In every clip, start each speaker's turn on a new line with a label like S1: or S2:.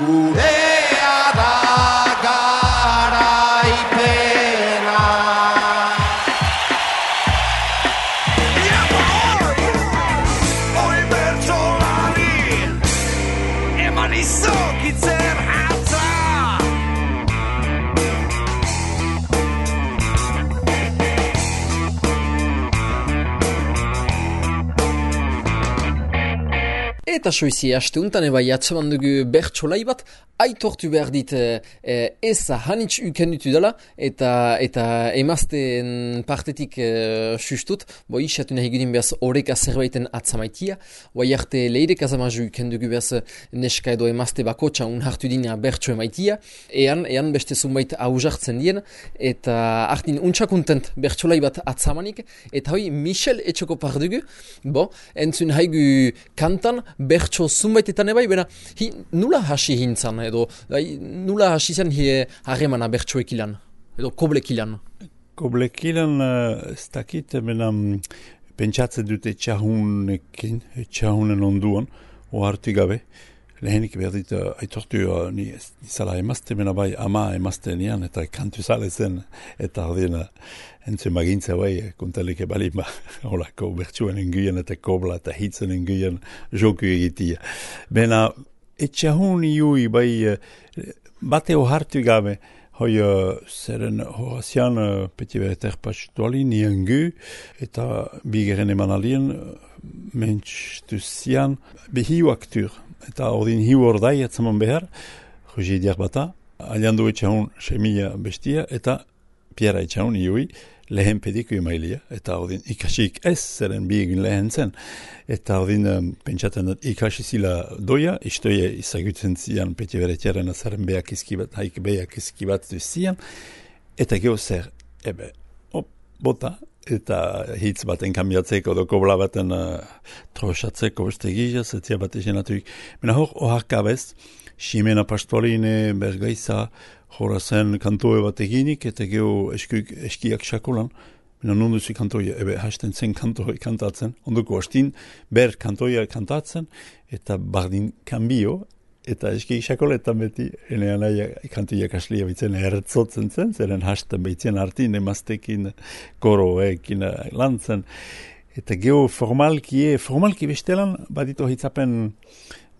S1: gurea da garaipena. Hoi bertsolari eman izokitzen hatza.
S2: Eta soizi asteuntan eba jatzeman dugu bertsolai bat, aitortu behar dit eza hanitz ukendutu dela, eta emazten partetik sustut, isatu nahi gudin behaz horreka zerbaiten atzamaitia, arte leirek azamaju ukendugu behaz neska edo emazte bakotxa unhartu dina bertso emaitia, ean beste zunbait hausartzen dien, eta hartin untsakuntent bertsolai bat atzamanik, eta hoi Michel etxoko pardugu, entzun haigu kantan, bertso zunbaitetan ebai, bena, nula hasi hintzan, edo nula hasi zen harremana bertsoek ilan, edo koblek ilan?
S3: Koblek ilan, ez dakit, bena, pentsatzen dute txahunen onduan, ohartu gabe, lehenik behar dit, aitortu nizala emazte, bena bai, ama emazte nian, eta kantu zale zen, eta ardien, entzun bagintza bai, kontalik ebalin ba, holako bertsuen enguien eta kobla eta hitzen enguien joku egitia. Bena, etxahun iui bai, bate ohartu gabe, hoi zeren horazian peti bereter pastuali niengu, eta bigeren eman alien, mentstu zian, behiu aktur, eta ordin hiu ordai atzaman behar, Roger Diarbata, aliandu etxahun semilla bestia, eta Piera etxahun iui, lehen pediku emailia, eta ordin ikasik ez zeren biegin lehen zen. Eta ordin pentsaten dut ikasi zila doia, istoia izagutzen zian peti beretiaren azaren behak izkibat, haik behak izkibat zian, eta geho zer, bota, eta hitz baten kambiatzeko, do kobla baten trosatzeko beste gizaz, etzia bat esenatuik. Mena hor, oharkabez, Ximena Pastualine, Bergaiza, horazen kantoe bat eginik, eta geho eskiak xakolan, mena nonduzi kantoia, hasten zen kantoia kantatzen, onduko hastin, ber kantoia kantatzen, eta bardin kanbio, eta eski xakoletan beti, enean aia kantoia kaslia bitzen ertzotzen zen, zeren hasten behitzen artin, emaztekin, koroekin lantzen, eta geho formalki bestelan, badito hitzapen,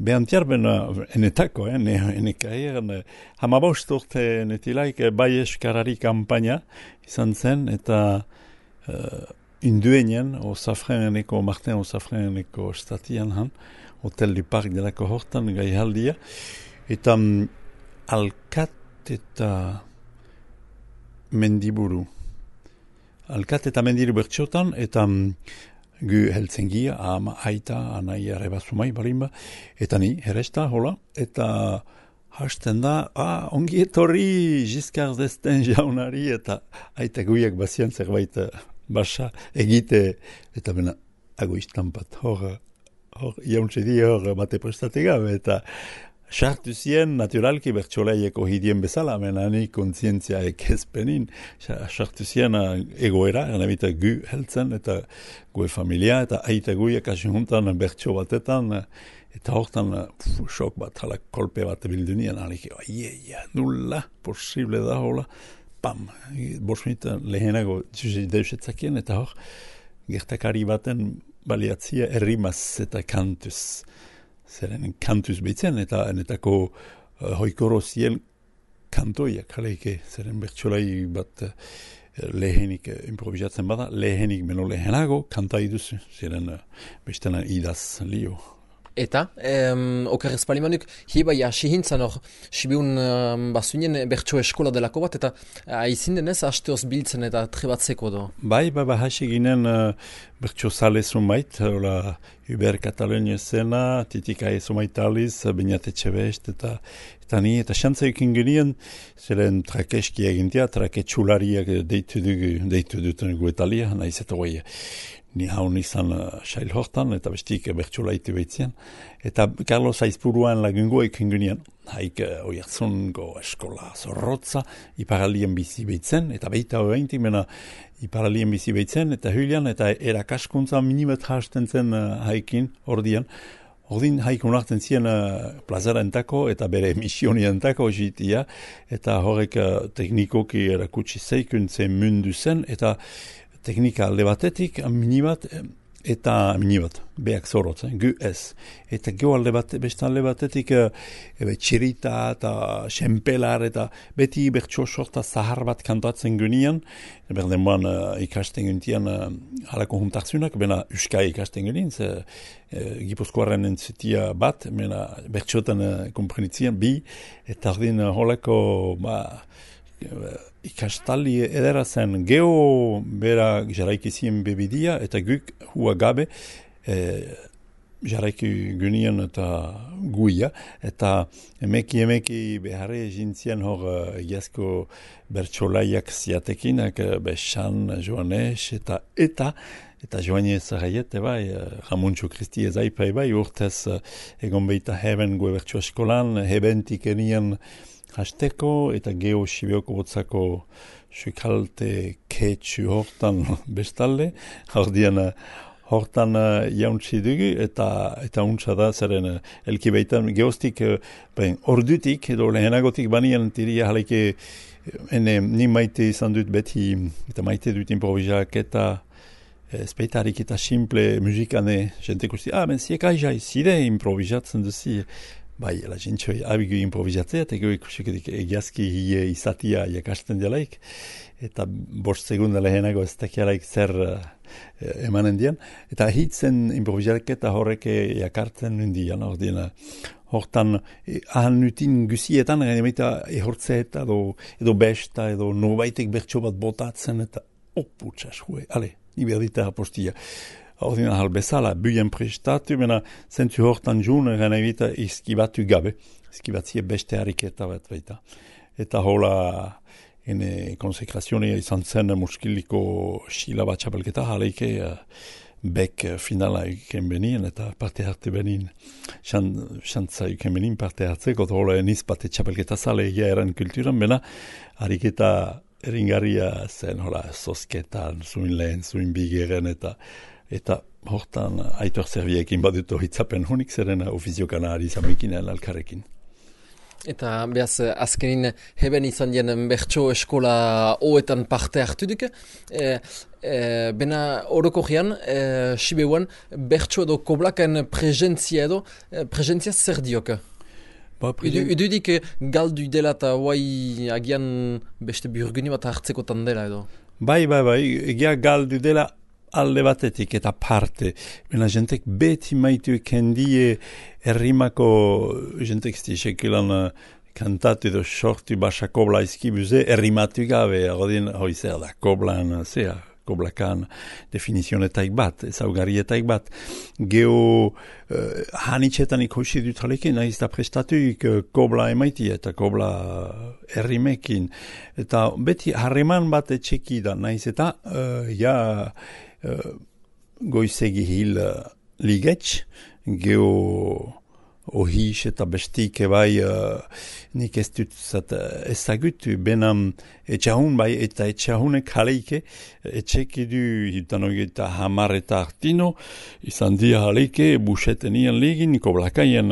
S3: behantiarben enetako, enekaieren, hamabost urte netilaik bai eskarari kampaina izan zen, eta induenien, Osafreneneko, Martin Osafreneneko statian han, Hotel du Parc delako hortan gaihaldia, eta alkat eta mendiburu. Alkat eta mendiburu bertxotan, eta gu heltzengia, ama, aita, anai arrebazumai, balimba, eta ni, heresta, hola, eta hasten da, ongi etorri Giscard d'Estaing jaunari, eta aita guiak bazian zerbait basa egite, eta bena, ago istampat, hor jauntze di, hor bate prestate gabe, eta sartu zien, naturalki bertsolaieko hidien bezala, menani kontzientzia ekezpenin, sartu zien egoera, erabita gu heltzen, eta gue familia, eta aita guiak asuntan bertso batetan, eta hortan sok bat, halak kolpe bat bildunien, aliki, nulla, posible da, hola, pam, bosmita lehenago deusetzakien, eta hor, gertakari baten baliatzia errimaz eta kantuz, zeren kantuz behitzen, eta enetako hoikoro zien kantoiak, jaleike, zeren bertsolai bat lehenik improvisatzen bada, lehenik meno lehenago kantai duzu, zeren bestena idaz lio.
S2: Eta, okerrez palimanuk, hieba jasi hintzan hor, sibiun bazunien bertso eskola delako bat, eta aizin denez hasteoz biltzen eta trebatzeko do?
S3: Bai, hasi ginen bertso sale zumait, hola, Uber Katalonia zena, titika ezumait aliz, bainatetxe best, eta ni, eta xantza ekin genien, zelen trakeski egintia, traketxulariak deitu duten guetalia, nahiz eta guai, ni haun izan sail hortan, eta bestik bertsolaitu behitzen. Eta Carlos Aizpuruan lagungo ekin genien, haik oiartzungo eskola zorrotza, iparalien bizi behitzen, eta behita horreintik, mena iparalien bizi behitzen, eta hylian, eta erakaskuntza minimet hasten zen haikin, ordian, Ordin haikon hartzen zien plazarentako eta bere misionientako jitia, eta horrek teknikoki erakutsi zeikuntzen mundu zen, eta teknika alde batetik minibat, eta minibat, beak zorot, gu ez. Eta gero beste alde batetik txirita eta xempelar eta beti bertso sorta zahar bat kantatzen gunean, berden boan ikasten guntian halako juntartzunak, bena uskai ikasten gunean, Gipuzkoaren entzutia bat, bena bertsotan komprenitzen bi, eta ordin holako ikastaldi edera zen geho bera jaraikizien bebidia eta guk hua gabe jaraiki gunean eta guia eta emeki beharre jintzien hor egiazko bertsolaiak ziatekinak Besan, Joanes eta Joanes Raiet bai, Ramuntxo Kristi ezaipai bai, urtez egon behita heben gue bertso eskolan, hebentik enien hasteko eta geho Sibioko botzako sukalte ketxu hortan bestalde, hortan jauntzi dugu eta untsa da zeren elki baitan geostik ordutik edo lehenagotik banian tiria haleke ni maite izan dut beti eta maite dut improvisak eta speitarik eta simple musikane jentek usti, ben ziek aizai zide improvisatzen duzi. Bai, la jentxoi abigu improvisatzea, eta ikuseketik egiazki hie izatia jakasten delaik, eta 5 segunda lehenago ez dakialaik zer emanen dian, eta hitzen improvisaketa horrek jakartzen nundian, hortan ahan nutin gusietan, gainemaita ehortzeta edo besta, edo nobaitek bertso bat botatzen, eta oputxas, ni berdita apostia. Ordina halbezala, buien prestatu, mena zentu hortan jun, gana evita izkibatu gabe, izkibatzie beste hariketa bat baita. Eta hola, konsekrazioa izan zen muskiliko xila bat txapelketa, haleike bek finala iken benien, eta parte harte benin, xantza iken benin parte hartzeko, eta hola eniz bate txapelketa zale egia eran kulturan, bena hariketa eringarria zen, hola, zosketan, zuin lehen, zuin bigeren, eta hortan aitor zerbiekin baduto hitzapen honik zeren ofiziokan ari zamekin alkarrekin.
S2: Eta behaz azkenin heben izan dien bertso eskola hoetan parte hartu duk. Bena orokorrean, Sibeuan, bertso edo koblakaen presentzia zer diok? Ududik galdu dela eta guai agian beste burguni bat hartzekotan dela edo?
S3: Bai, egia galdu dela alde batetik eta parte. Bena jentek beti maitu kendie errimako jentek stisekilan kantatu edo sortu basa kobla izkibuze errimatu gabe, hoi zer da, koblan, koblakan definizionetaik bat, ezaugarrietaik bat. Geo hanitxetan ikusi dut haleke, nahiz da prestatuik kobla emaiti eta kobla errimekin. Eta beti harreman bat etxeki da, nahiz eta goizegi hil ligetx, geo ohis eta bestik bai nik ez dut ezagutu, benam etxahun bai eta etxahunek jaleike, etxeki du hitan eta hamar eta artino, izan dia jaleike busetenian ligin, koblakaien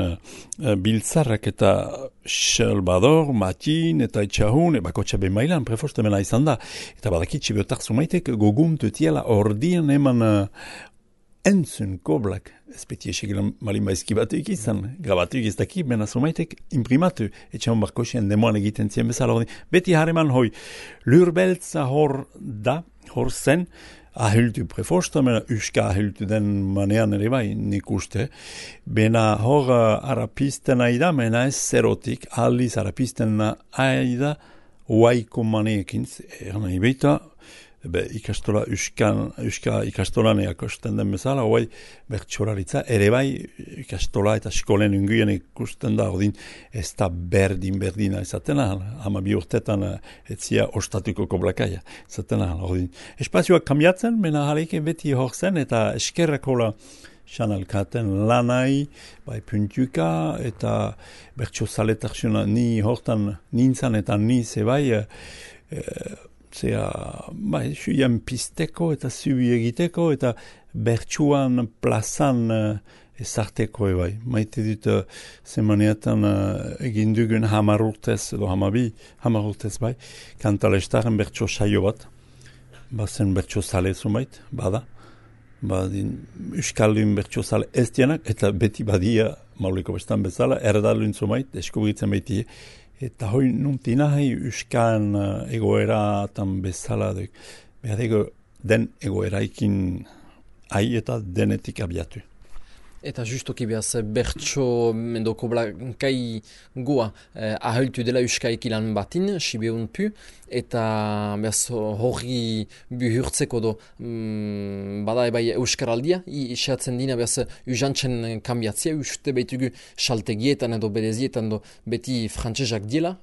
S3: biltzarrak eta Salvador, Matin eta etxahun, bakotxa ben mailan, prefoste mena izan da, eta badakitxe beotak zumaitek goguntu tiela ordian eman entzun koblak, espeti esegilan malin baizkibatuik izan, grabatuik ez dakik, bena zumaitek imprimatu, etxahun barkosien demoan egiten zien bezala ordin. Beti hareman hoi, lurbeltza hor da, hor zen, ahiltu prefosta, mena uska ahiltu den manean ere bai, nik uste, bena hor arapisten aida, mena ez zerotik, aldiz arapisten aida, oaiko maneekin, nahi beita, ikastola uska ikastolan eakosten den bezala, hoai bertxolaritza, ere bai ikastola eta eskolen unguien ikusten da, ordin ez da berdina izaten ahal, 12 urtetan etzia ostatuko koblakaia izaten ahal, ordin. Espazioak kambiatzen, mena jaleike beti hor zen, eta eskerrakola xanalkaten lanai, bai puntuka, eta bertxo zaletarxuna ni hortan nintzan eta ni zebai, suian pisteko eta zubi egiteko eta bertsuan plazan ezarteko bai. Maite dut zemaneatan egin dugun 10 urtez, edo 12 urtez bai, Kantalestaren bertso saio bat, bazen bertso zale zumait, bada. Euskaldun bertso zale ez dienak, eta beti badia, Mauliko bestan bezala, erdalun zumait, eskubritzen beti. Eta hoi nuntina Euskan egoeratan bezala, behar den egoeraikin eta denetik abiatu.
S2: Eta justoki behaz bertso mendoko kai goa ahaltu dela euskaik ilan batin, sibeun pu, eta behaz hori buhurtzeko do bada ebai euskaraldia, isatzen dina behaz usantzen kambiatzia, uste behitugu saltegietan edo berezietan do beti frantzesak diela,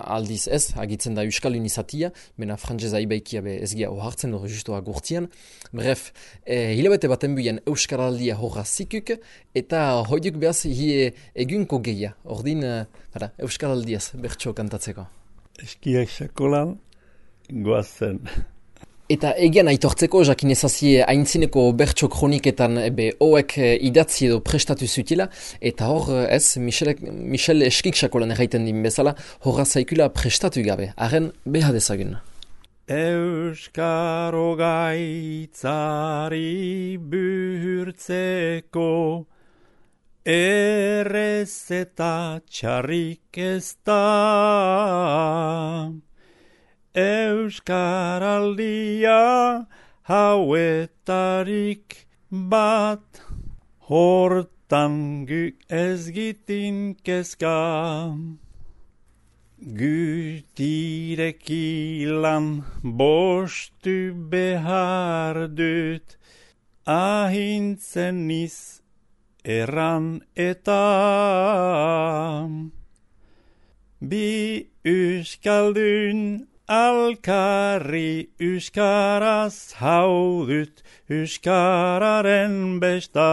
S2: aldiz ez, agitzen da euskalun izatia, bena frantzeza ibaikia be ezgia ohartzen do justo agurtian. Bref, hilabete baten buien euskaraldia horra zikuk, eta hoiduk behaz egunko geia, ordin euskaraldiaz bertso kantatzeko.
S3: Eskiak sakolan goazen.
S2: Eta egian aitortzeko, jakin ezazie haintzineko bertso kroniketan hoek idatzi edo prestatu zutila, eta hor ez, Michel Eskik sakolan erraiten din bezala, horra zaikula prestatu gabe, haren beha dezagun.
S3: Euskaro gaitzari buhurtzeko errez eta txarrik ez da. Euskaraldia hauetarik bat, hortan guk ez gitin kezka. Gutirekilan bostu behar dut, ahintzen niz erran eta. Bi euskaldun alkarri euskaraz haudut euskararen besta.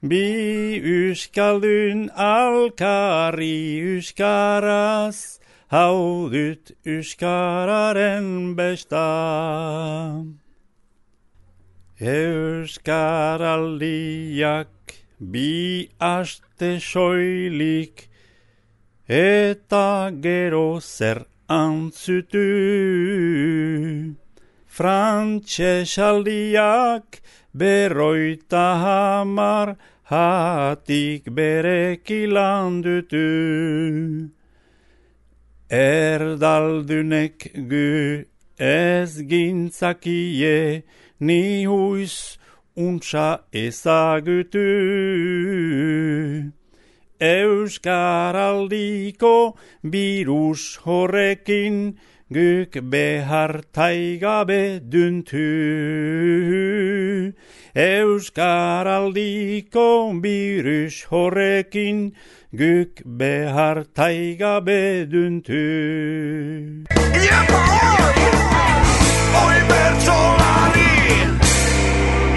S3: Bi euskaldun alkarri euskaraz haudut euskararen besta. Euskaraldiak bi aste soilik eta gero zer antzutu. Frantsesaldiak 50 hatik berekilan dutu. Erdaldunek gu ez gintzakie ni huiz untsa ezagutu. Euskaraldiko birus horrekin guk behar taigabe duntu. Euskaraldiko birus horrekin guk behar taigabe duntu.
S1: Oi bertsolari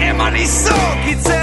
S1: eman izokitzen